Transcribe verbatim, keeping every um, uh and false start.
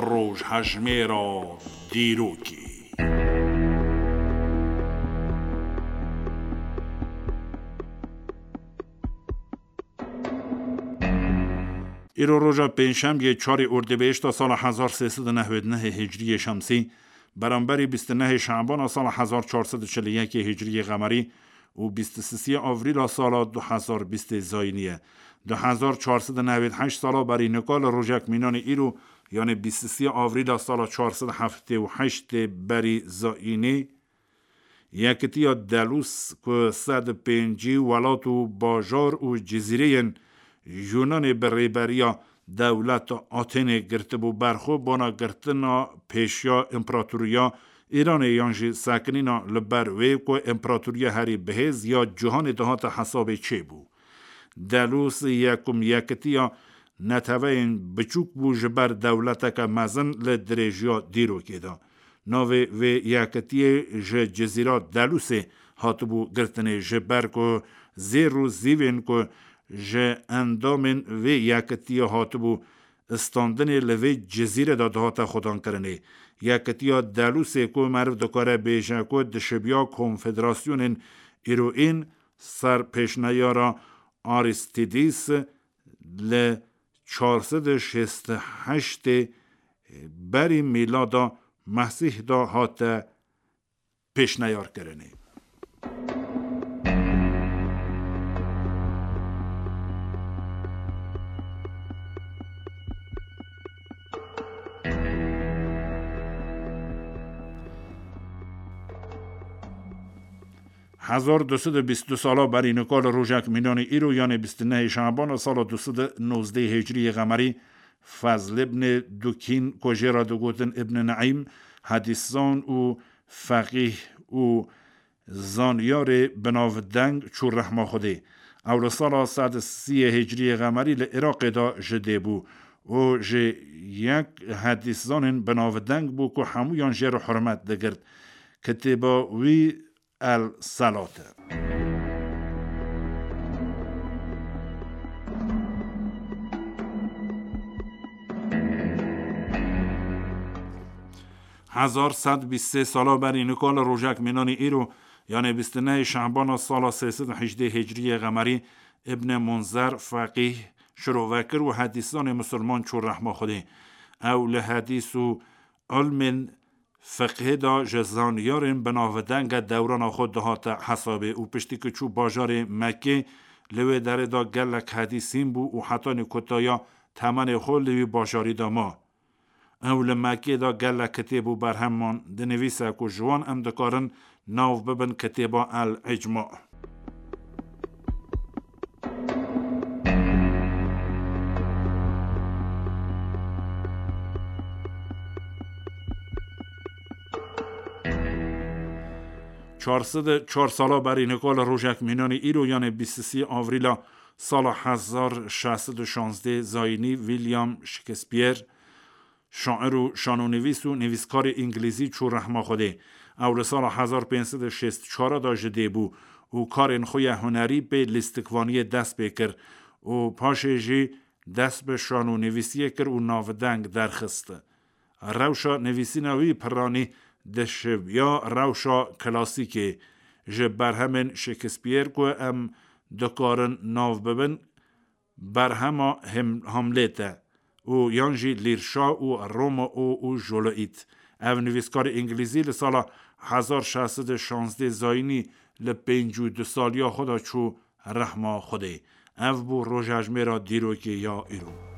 Rojhejmêra dîrokê. Îro roja pêncşemiyê çarê Ordibêhişta sala hezar sê sed û nehwêd nehê Hicriyê Şemsî, beramberî bîst û nehê Şabana sala hezar çar sed û çil û yekê Hicriyê Qemerî û bîst û sisê Avrîla sala du hezar bîstê Zayînî ye. Du hezar çar sed û nehwêd heşt sala berî nika li rojek mînanê îro, yanê bîst û sisê Avrîla sala çar sed heftê û heştê berî Zayînî, Yekitiya Delûs ku sed û pêncî welat û bajar û cizîreyên Yûnanê bi rêberiya dewleta Atênê girtibû ber xwe, bona girtina pêşiya împeratoriya Îranê yan jî sekinîna li ber wê ku împeratoriya herî bihêz ya cîhanê dihate hesabê çêbû. Delûs yekum yekitiya neteweyên biçûk bû ji ber dewleteke mezin li dirêjiya dîrokê de. Navê vê yekitiyê ji Cizîra Delûsê hatibû girtinê, ji ber ku zêr û zîvên ku ji endamên vê yekitiyê hatibû standinê li vê cizîrê de dihate xwedankirinê. Yekitiya Delûsê ku meriv dikare bêje ku dişibiya konfederasyonên îroîn ser pêşneyara Aristidis li çar sed û şêst û heştê berî mîlada Mesîh de hate pêşneyarkirinê. Hezar du sed û bîst û du sala berî nika li rojek mînanê îro, yanê bîst û nehê Şabana sala du sed û nozdeh Hicriyê Qemerî, Fezl ibnê Dukîn, ku jê re digotin Ibn Neîm, hedîszan û feqîh û zanyarê binavdeng çû rehma Xwedê. Ew li sala sed û sîyê Hicriyê Qemerî li Iraqê de ji dê bû û ji yek hedîszanên binavdeng bû ku hemûyan jê re hurmet digirt. Kitêba wî El Selat e. Hezar sed bîst sê sala berî nika li rojek mînanî îro, yanê bîst û nehê Şehbana sala sê sed û hejdê Hicriyê Qemerî, Ibn Munzer, feqîh, şirovekir û hedîszanê misilman çû rehma Xwedê. Ew li hedîs û ilmên fiqhê de ji zanyarên binavdeng e dewrana xwe dihate hesabê û piştî ku çû bajarê Mekkê, li wê derê de gelek hedîs hîn bû û hetanî kutaya temenê xwe li wî bajarî de ma. Ew li Mekkê de gelek kitêb û berheman dinivîse ku ji wan em dikarin nav bibin kitêba El Îcma. Çar sed û çar sala berî nika li rojek mînanî îro, yanê bîst û sê Avrîla sala hezar şeş sed û şazdeh Zayînî, William Shakespeare, şair û şanonivîs û nivîskarê îngilîzî çû rehma Xwedê. Ew li sala hezar pênc sed û şêst çar de ji dê bû û karên xwe ya hunerî pê lîstikvaniyê dest pê kir û paşê jî dest bi şanonivîsiyê kir û navdeng derxist. Rewşa nivîsîna wî piranî dişibiya rewşa klasîkê. Ji berhemên Shakespeare ku em dikarin nav bibin, berhema Hem-, Hamlet e û yan jî Lîrşa û Romeo û Juliet. Ev nivîskarê îngilîzî li sala hezar şeş sed û şazdeh Zayînî li pêncî û du saliya xwe de çû rehma Xwedê. Ev bû rojhejmêra dîrokê ya îro.